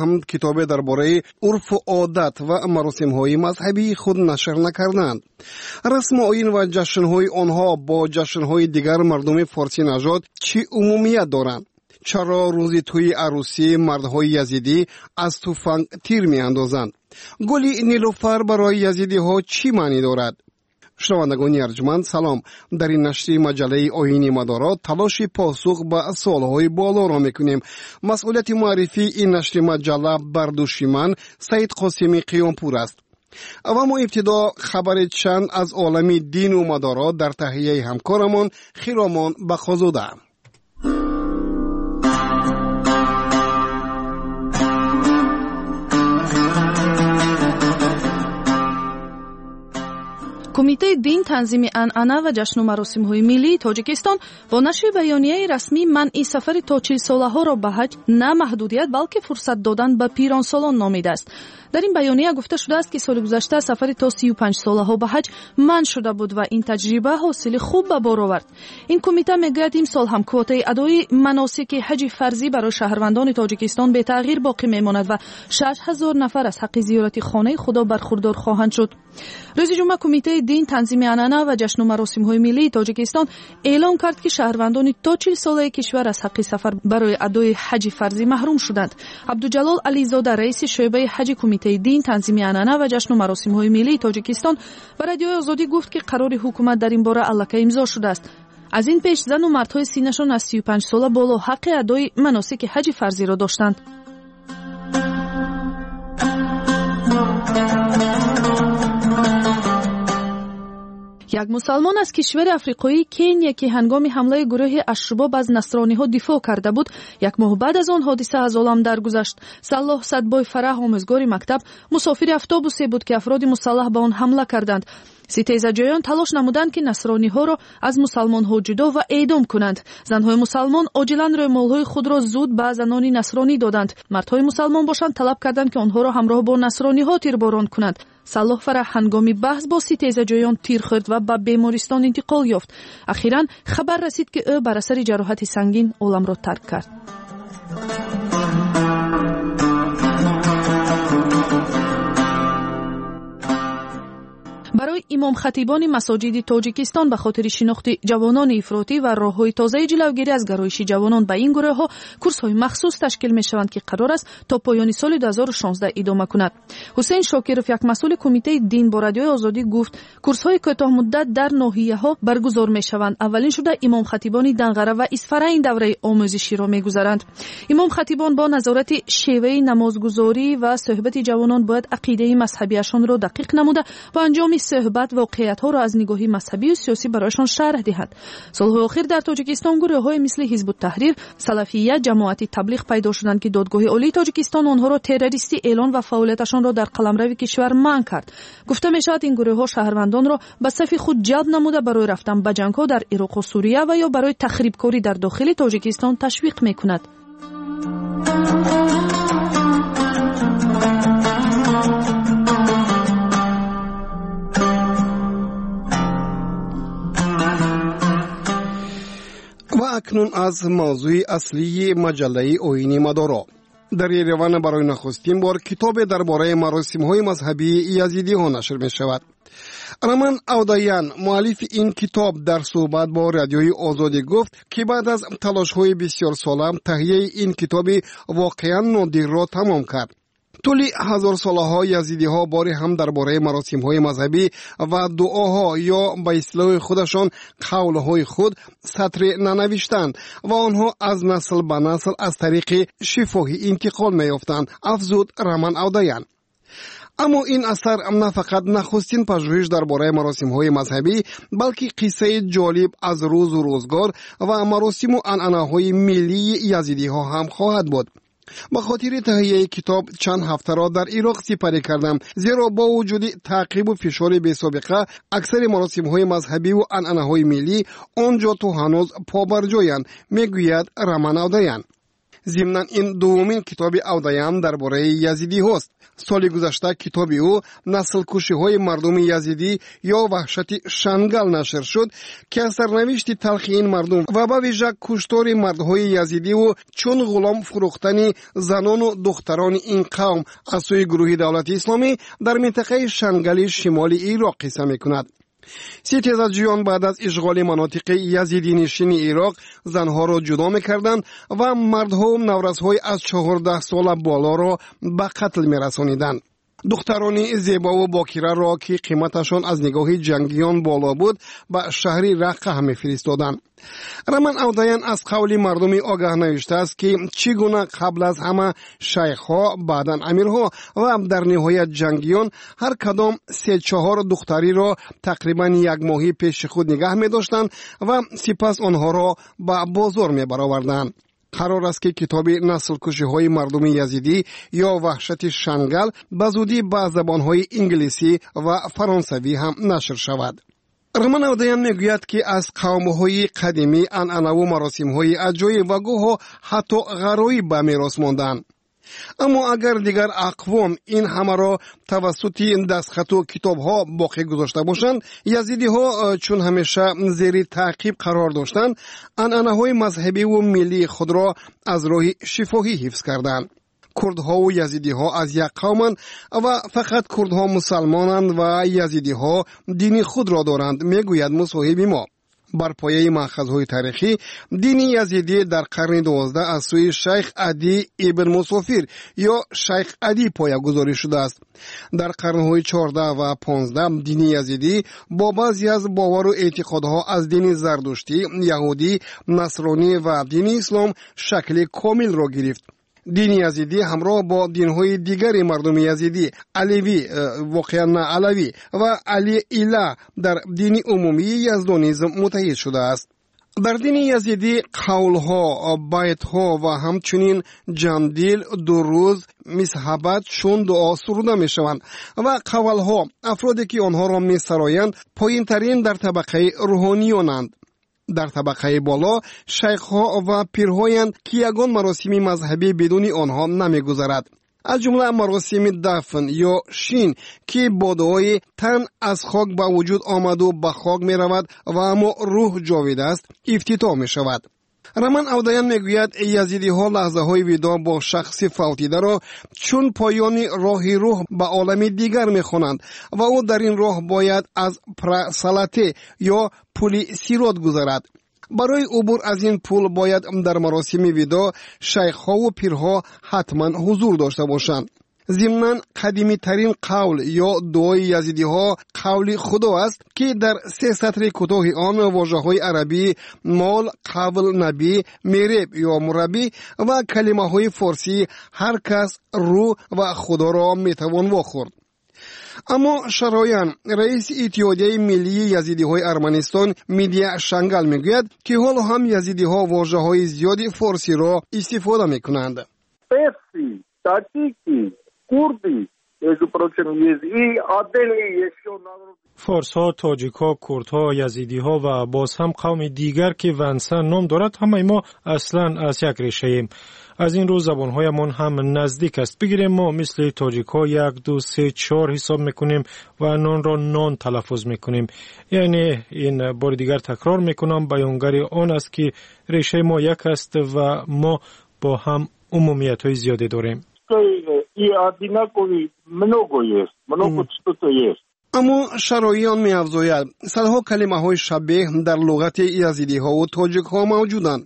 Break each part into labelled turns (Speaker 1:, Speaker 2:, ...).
Speaker 1: ҳам китобе дар бораи урфу одат ва маросимҳои мазҳабии худ нашр накарданд. Расму оин ва ҷашнҳои онҳо бо ҷашнҳои дигар мардуми форсинажод чӣ умумият доранд? Чаро рӯзи тӯи арӯсӣ мардҳои язидӣ аз туфанг тир меандозанд? Гули нилуфар барои язидиҳо чӣ маънӣ дорад? Шунавандагони арҷманд, салом. Дар ин нашри маҷаллаи Оини Мадоро талоши посух ба суолҳои болоро мекунем. Масъулияти муаррифии ин нашри маҷалла бар дӯши ман, Саид Қосими Қиёмпур, аст. Ва мо ибтидо хабари чанд аз олами дину мадоро дар таҳияи ҳамкорамон Хиромон Бақозода.
Speaker 2: Кумитаи дин, танзими анъана ва ҷашну маросимҳои миллии Тоҷикистон бо нашри баёнияи расмӣ манъи сафари то 40-солаҳоро ба ҳаҷ на маҳдудият, балки фурсат додан ба пиронсолон номидааст. Дар ин баёния гуфта шудааст, ки соли гузашта сафари то 35-солаҳо ба ҳаҷ манъ шуда буд ва ин таҷриба ҳосили хуб ба бор овард. Ин кумита мегӯяд, имсол ҳам квотаи адои маносики ҳаҷи фарзӣ барои шаҳрвандони Тоҷикистон бетағйир боқӣ мемонад ва 6000 нафар аз ҳаққи зиёрати хонаи Худо бархурдор хоҳанд шуд. Рӯзи ҷумъа Кумитаи дин, танзими анъана ва ҷашну маросимҳои миллии Тоҷикистон эълон кард, ки шаҳрвандони то 40-солаи кишвар аз ҳаққи сафар барои адои ҳаҷи фарзӣ маҳрум шуданд. Абдуҷалол Ализода, раиси шӯъбаи ҳаҷи Кумитаи дин, танзими анъана ва ҷашну маросимҳои миллии Тоҷикистон, ба Радиои Озодӣ гуфт, ки қарори ҳукумат дар ин бора аллакай имзо шудааст. Аз ин пеш зану мардҳои синнашон аз 35 сола боло ҳаққи адои маносики ҳаҷи фарзиро доштанд. Як мусалмон аз кишвари африқоии Кения, ки ҳангоми ҳамлаи гурӯҳи Ашшубоб аз насрониҳо дифоъ карда буд, як моҳ баъд аз он ҳодиса аз олам даргузашт. Саллоҳ Садбой Фараҳ, омӯзгори мактаб, мусофири автобусе буд, ки афроди мусаллаҳ ба он ҳамла карданд. Ситезаҷӯён талош намуданд, ки насрониҳоро аз мусалмонҳо ҷудо ва эъдом кунанд. Занҳои мусалмон оҷилан рӯмолҳои худро зуд ба занони насронӣ доданд. Мардҳои мусалмон бошанд, талаб карданд, ки онҳоро ҳамроҳ бо насрониҳо тирборон кунанд. Саллоҳ Фараҳ ҳангоми баҳс бо ситезаҷӯён тир хӯрд ва ба бемористон интиқол ёфт. Ахиран хабар расид, ки ӯ бар асари ҷароҳати сангин оламро тарк кард. Барои имомхатибони масоҷиди Тоҷикистон ба хотири шинохти ҷавонони ифротӣ ва роҳҳои тозаи ҷилавгирӣ аз гароиши ҷавонон ба ин гурӯҳҳо курсҳои махсус ташкил мешаванд, ки қарор аст то поёни соли 2016 идома кунад. Ҳусейн Шокиров, як масъули Кумитаи дин, бо Радиои Озодӣ гуфт, курсҳои кӯтоҳмуддат дар ноҳияҳо баргузор мешаванд. Аввалин шуда имомхатибони Данғара ва Исфара ин давраи омӯзиширо мегузаранд. Имомхатибон бо назорати шеваи намозгузорӣ ва суҳбати ҷавонон бояд ақидаи мазҳабиашонро дақиқ намуда, бо анҷоми суҳбат воқеиятҳоро аз нигоҳи мазҳабию сиёсӣ барояшон шарҳ диҳад. Солҳои охир дар Тоҷикистон гурӯҳҳое мисли Ҳизбуттаҳрир, Салафия, Ҷамоати Таблиғ пайдо шуданд, ки Додгоҳи Олии Тоҷикистон онҳоро террористӣ эълон ва фаъолияташонро дар қаламрави кишвар манъ кард. Гуфта мешавад, ин гурӯҳҳо шаҳрвандонро ба сафи худ ҷалб намуда, барои рафтан ба ҷангҳо дар Ироқу Сурия ва ё барои тахрибкорӣ дар дохили Тоҷикистон ташвиқ мекунад.
Speaker 1: Ва акнун аз мавзӯи аслии маҷаллаи Оини Мадоро. Дар Ереван барои нахустин бор китобе дар бораи маросимҳои мазҳабии язидиҳо нашр мешавад. Раман Авдаян, муаллифи ин китоб, дар суҳбат бо Радиои Озодӣ гуфт, ки баъд аз талошҳои бисёрсола таҳияи ин китоби воқеан нодирро тамом кард. Тӯли ҳазорсолаҳо язидиҳо боре ҳам дар бораи маросимҳои мазҳабӣ ва дуоҳо ё ба истилоҳи худашон қавлҳои худ сатре нанавиштанд ва онҳо аз насл ба насл аз тариқи шифоҳӣ интиқол меёфтанд, афзуд Раман Авдаян. Аммо ин асар на фақат нахустин пажӯҳиш дар бораи маросимҳои мазҳабӣ, балки қиссаи ҷолиб аз рӯзу рӯзгор ва маросиму анъанаҳои миллии язидиҳо ҳам хоҳад буд. Ба хотири таҳияи китоб чанд ҳафтаро дар Ироқ сипарӣ кардам, зеро бо вуҷуди таъқибу фишори бесобиқа аксари маросимҳои мазҳабиву анъанаҳои миллӣ он ҷо то ҳанӯз побарҷоянд, мегӯяд Раман Авдаян. Зимнан, ин дуввумин китоби Авдаян дар бораи язидиҳост. Соли гузашта китоби ӯ «Наслкушиҳои мардуми язидӣ ё ваҳшати Шангал» нашр шуд, ки аз сарнавишти талхи ин мардум ва ба вижа куштори мардҳои язидиву чун ғулом фурӯхтани занону духтарони ин қавм аз сӯи гурӯҳи Давлати Исломӣ дар минтақаи Шангали шимоли Ироқ қисса мекунад. Ситезаҷӯён баъд аз ишғоли манотиқи язидинишини Ироқ занҳоро ҷудо мекарданд ва мардҳову наврасҳои аз 14 сола болоро ба қатл мерасониданд. Духтарони зебову бокираро, ки қиматашон аз нигоҳи ҷангиён боло буд, ба шаҳри Раққа мефиристоданд. Раман Авдаян аз қавли мардуми огаҳ навиштааст, ки чӣ гуна қабл аз ҳама шайхҳо, баъдан амирҳо ва дар ниҳоят ҷангиён ҳар кадом се-чаҳор духтариро тақрибан як моҳӣ пеши худ нигаҳ медоштанд ва сипас онҳоро ба бозор мебароварданд. Қарор аст, ки китоби «Наслкушиҳои мардуми язидӣ ё ваҳшати Шангал» ба зудӣ ба забонҳои инглисӣ ва фаронсавӣ ҳам нашр шавад. Раман Авдаян мегӯяд, ки аз қавмҳои қадимӣ анъанаву маросимҳои аҷоиб ва гоҳо ҳатто ғароиб ба мерос монданд. Аммо агар дигар ақвом ин ҳамаро тавассути дастхату китобҳо боқӣ гузошта бошанд, язидиҳо, чун ҳамеша зери таъқиб қарор доштанд, анъанаҳои мазҳабиву миллии худро аз роҳи шифоҳӣ ҳифз карданд. Курдҳову язидиҳо аз як қавманд ва фақат курдҳо мусалмонанд ва язидиҳо дини худро доранд, мегӯяд мусоҳиби мо. Бар пояи маъхазҳои таърихӣ, дини язидӣ дар қарни 12 аз сӯи шайх Адӣ ибн Мусофир ё шайх Адӣ поягузорӣ шудааст. Дар қарнҳои 14 ва 15 дини язидӣ бо баъзе аз бовару эътиқодҳо аз дини зардуштӣ, яҳудӣ, насронӣ ва дини ислом шакли комилро гирифт. Дини язидӣ ҳамроҳ бо динҳои дигари мардуми язидӣ, аливӣ, воқеан на алавӣ, ва Али Ила дар дини умумии яздонизм муттаҳид шудааст. Дар дини язидӣ қавлҳо, байтҳо ва ҳамчунин ҷандил, дуруз, мисҳабат чун дуо суруда мешаванд ва қавалҳо, афроде ки онҳоро месароянд, поинтарин дар табақаи рӯҳониёнанд. Дар табақаи боло шайхҳо ва пирҳоянд, ки ягон маросими мазҳабӣ бидуни онҳо намегузарад, аз ҷумла маросими дафн ё шин, ки бо дуои «Тан аз хок ба вуҷуд омаду ба хок меравад ва аммо рӯҳ ҷовид аст» ифтитоҳ мешавад. Раман Авдаян мегӯяд, язидиҳо лаҳзаҳои видоъ бо шахси фавтидаро чун поёни роҳи рӯҳ ба олами дигар мехонанд ва ӯ дар ин роҳ бояд аз Прасалате ё пули Сирот гузарад. Барои убур аз ин пул бояд дар маросими видоъ шайхҳову пирҳо ҳатман ҳузур дошта бошанд. Зимнан, қадимитарин қавл ё дуои язидиҳо қавли Худо аст, ки дар се сатри кӯтоҳи он вожаҳои арабии мол, қавл, набӣ, мереб ё мураббӣ ва калимаҳои форсии ҳар кас, рӯ ва Худоро метавон вохӯрд. Аммо Шароян, раиси Иттиҳодияи миллии язидиҳои Арманистон Мидия Шангал, мегӯяд, ки ҳоло ҳам язидиҳо вожаҳои зиёди форсиро истифода мекунанд.
Speaker 3: Таджики, курды, между прочим, есть и отдельные еще народы.
Speaker 4: Форсҳо, тоҷикҳо, курдҳо, язидиҳо ва боз ҳам қавми дигар, ки вансан ном дорад, ҳамаи мо аслан аз як решаем. Аз ин рӯ забонҳоямон ҳам наздик аст. Бигирем, мо мисли тоҷикҳо як, ду, се, чор ҳисоб мекунем ва нонро нон талаффуз мекунем. Яъне ин, бори дигар такрор мекунам, баёнгари он аст, ки решаи мо як аст ва мо бо ҳам умумиятҳои зиёде дорем.
Speaker 3: И одинаковый много есть, много что-то есть.
Speaker 1: Аммо Шароиён меафзояд, садҳо калимаҳои шабеҳ дар луғати язидиҳову тоҷикҳо мавҷуданд.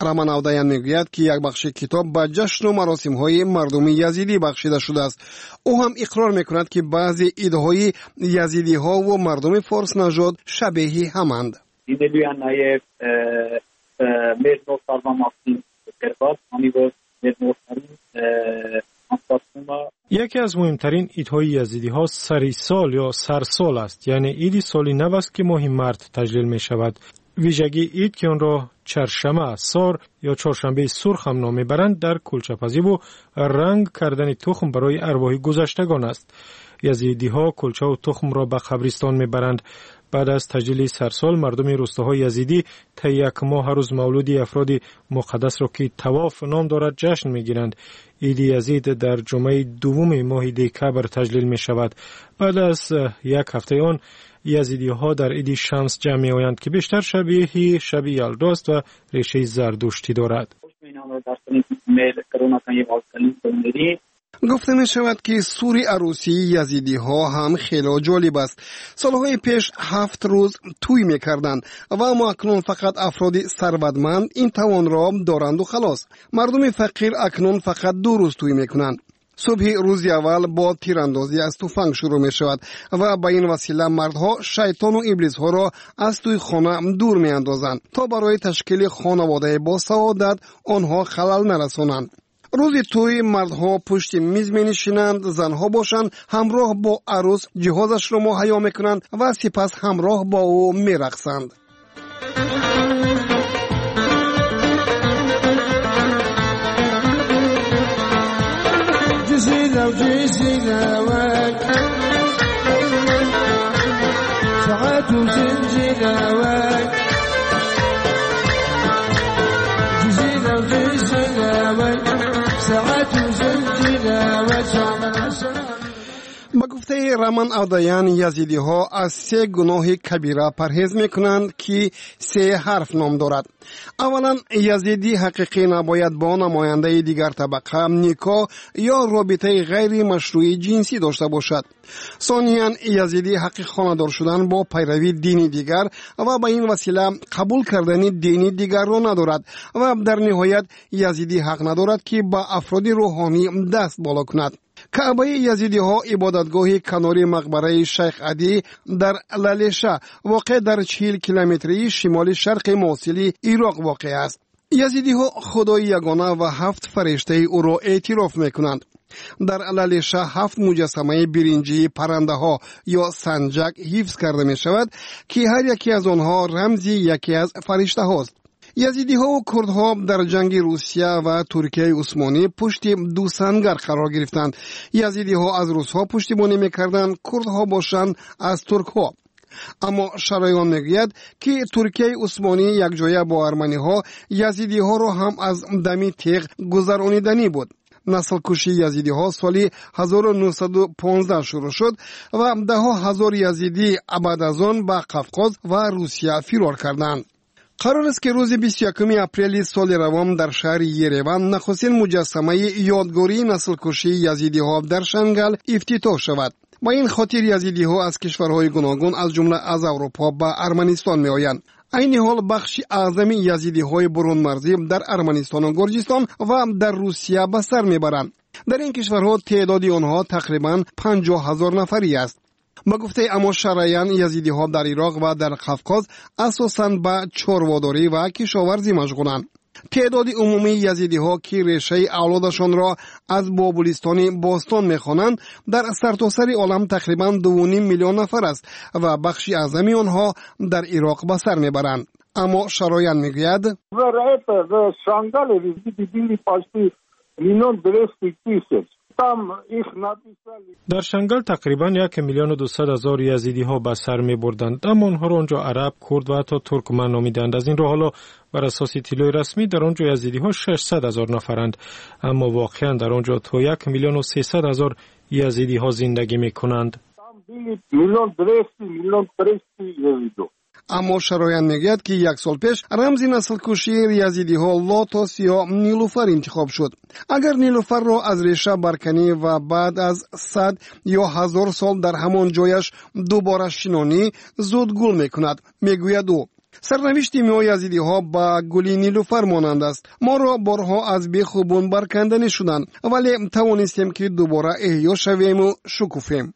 Speaker 1: Раман Авдаян мегӯяд, ки як бахши китоб ба ҷашну маросимҳои мардуми язидӣ бахшида шудааст. Ӯ ҳам иқрор мекунад, ки баъзе идҳои язидиҳову мардуми форснажод шабеҳи ҳаманд.
Speaker 5: Լինելու է նաև մեր նոր տարվա մասին գրված, քանի որ մեր նոր տարին անցկացվում է.
Speaker 4: Яке аз муҳимтарин идҳои язидиҳо сари сол ё сарсол аст, яъне иди соли нав аст, ки моҳи март таҷлил мешавад. Вижагии ид, ки онро чаршама сор ё чоршанбеи сурх ҳам ном мебаранд, дар кулчапазиву ранг кардани тухм барои арвоҳи гузаштагон аст. Язидиҳо кулчаву тухмро ба қабристон мебаранд. Баъд аз таҷлили сарсол мардуми рӯстаҳои язидӣ таи як моҳ ҳар рӯз мавлуди афроди муқаддасро, ки тавоф ном дорад, ҷашн мегиранд. Иди Язид дар ҷумъаи дуввуми моҳи декабр таҷлил мешавад. Баъд аз як ҳафтаи он язидиҳо дар иди Шамс ҷамъ меоянд, ки бештар шабеҳи шаби Ялдо аст ва решаи зардуштӣ дорад.
Speaker 1: Гуфта мешавад, ки сури арӯсии язидиҳо ҳам хело ҷолиб аст. Солҳои пеш 7 рӯз тӯй мекарданд ва аммо акнун фақат афроди сарватманд ин тавонро доранду халос. Мардуми фақир акнун фақат 2 рӯз тӯй мекунанд. Субҳи рӯзи аввал бо тирандозӣ аз туфанг шурӯъ мешавад ва ба ин васила мардҳо шайтону иблисҳоро аз тӯи хона дур меандозанд, то барои ташкили хонаводаи босаодат онҳо халал нарасонанд. Рӯзи тӯй мардҳо пушти миз менишинанд, занҳо бошанд, ҳамроҳ бо арӯс ҷиҳозашро муҳайё мекунанд ва сипас ҳамроҳ бо ӯ мерақсанд. Ба гуфтаи Раман Авдаян, язидиҳо аз се гуноҳи кабира парҳез мекунанд, ки се ҳарф ном дорад. Аввалан, язидии ҳақиқӣ набояд бо намояндаи дигар табақа никоҳ ё робитаи ғайримашрӯи ҷинсӣ дошта бошад. Сониян, язидӣ ҳаққи хонадор шудан бо пайравии дини дигар ва ба ин васила қабул кардани дини дигарро надорад. Ва дар ниҳоят, язидӣ ҳақ надорад, ки ба афроди рӯҳонӣ даст боло кунад. Каъбаи язидиҳо ибодатгоҳи канори мақбараи Шайх Адӣ дар Лалеша, воқеъ дар 40 километрии шимоли шарқи Мосили Ироқ воқеъ аст. Язидиҳо Худои ягона ва ҳафт фариштаи ӯро эътироф мекунанд. Дар Лалеша ҳафт муҷассамаи биринҷии паррандаҳо ё санҷак ҳифз карда мешавад, ки ҳар яке аз онҳо рамзи яке аз фариштаҳост. Язидиҳову курдҳо дар ҷанги Русия ва Туркияи Усмонӣ пушти ду сангар қарор гирифтанд. Язидиҳо аз русҳо пуштибонӣ мекарданд, курдҳо бошанд, аз туркҳо. Аммо Шароён мегӯяд, ки Туркияи Усмонӣ якҷоя бо арманиҳо язидиҳоро ҳам аз дами теғ гузарониданӣ буд. Наслкушии язидиҳо соли 1915 шурӯъ шуд ва даҳҳо ҳазор язидӣ баъд аз он ба Қавқоз ва Русия фирор карданд. Қарор аст, ки рӯзи 21 апрели соли равон дар шаҳри Ереван нахустин муҷассамаи ёдгории наслкушии язидиҳо дар Шангал ифтитоҳ шавад. Ба ин хотир язидиҳо аз кишварҳои гуногун, аз ҷумла аз Аврупо, ба Арманистон меоянд. Айни ҳол бахши аъзами язидиҳои бурунмарзӣ дар Арманистону Гурҷистон ва дар Русия ба сар мебаранд. Дар ин кишварҳо теъдоди онҳо тақрибан 50 000 нафарӣ аст. Ба гуфтаи Амо Шараян, язидиҳо дар Ироқ ва дар Қавқоз асосан ба чорводорӣ ва кишоварзӣ машғуланд. Теъдоди умумии язидиҳо, ки решаи авлодашонро аз Бобулистони бостон мехонанд, дар сартосари олам тақрибан 2,5 миллион нафар аст ва бахши аъзами онҳо дар Ироқ ба сар мебаранд. Аммо Шароян мегӯяд:
Speaker 3: Миллион двести тысяч. Там их написали.
Speaker 4: Дар Шангал тақрибан 1 200 000 язидиҳо ба сар мебурданд, аммо онҳоро он ҷо араб, курд ва ҳатто туркман номиданд. Аз ин рӯ ҳоло бар асоси иттилои расмӣ дар он ҷо язидиҳо 600 000 нафаранд, аммо воқеан дар он ҷо то 1 300 000 язидиҳо зиндагӣ мекунанд.
Speaker 3: Там были миллион двести, миллион триста езидов.
Speaker 1: Аммо Шароян мегӯяд, ки як сол пеш рамзи наслкушии язидиҳо лотос ё нилуфар интихоб шуд. Агар нилуфарро аз реша барканӣ ва баъд аз 100 ё 1000 сол дар ҳамон ҷояш дубора шинонӣ, зуд гул мекунад, мегӯяд ӯ. Сарнавишти мо, язидиҳо, ба гули нилуфар монанд аст. Моро борҳо аз беху бун барканданӣ шуданд, вале тавонистем, ки дубора эҳё шавему шукуфем.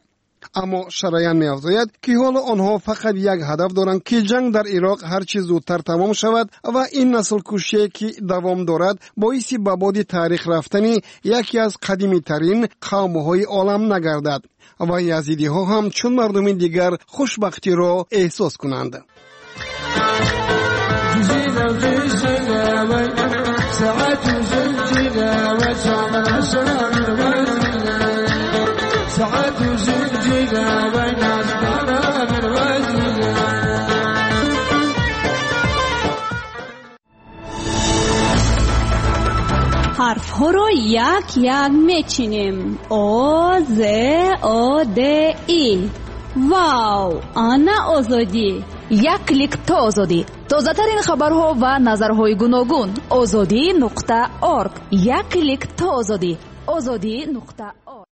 Speaker 1: Аммо Шараян меафзояд, ки ҳоло онҳо фақат як ҳадаф доранд, ки ҷанг дар Ироқ ҳарчи зудтар тамом шавад ва ин наслкушие, ки давом дорад, боиси ба боди таърих рафтани яке аз қадимитарин қавмҳои олам нагардад ва язидиҳо ҳам чун мардуми дигар хушбахтиро эҳсос кунанд.
Speaker 6: ساعات وزنجيلة وين من وزننا. Ҳарфҳоро як-як мечинем. О, З, О, Д, И. Вау! Ана Озодӣ!
Speaker 7: Як клик то озодӣ. Тозатарин хабарҳо ва назарҳои гуногун. Озодӣ нуқта орг. Як клик то озодӣ. Озодӣ нуқта орг.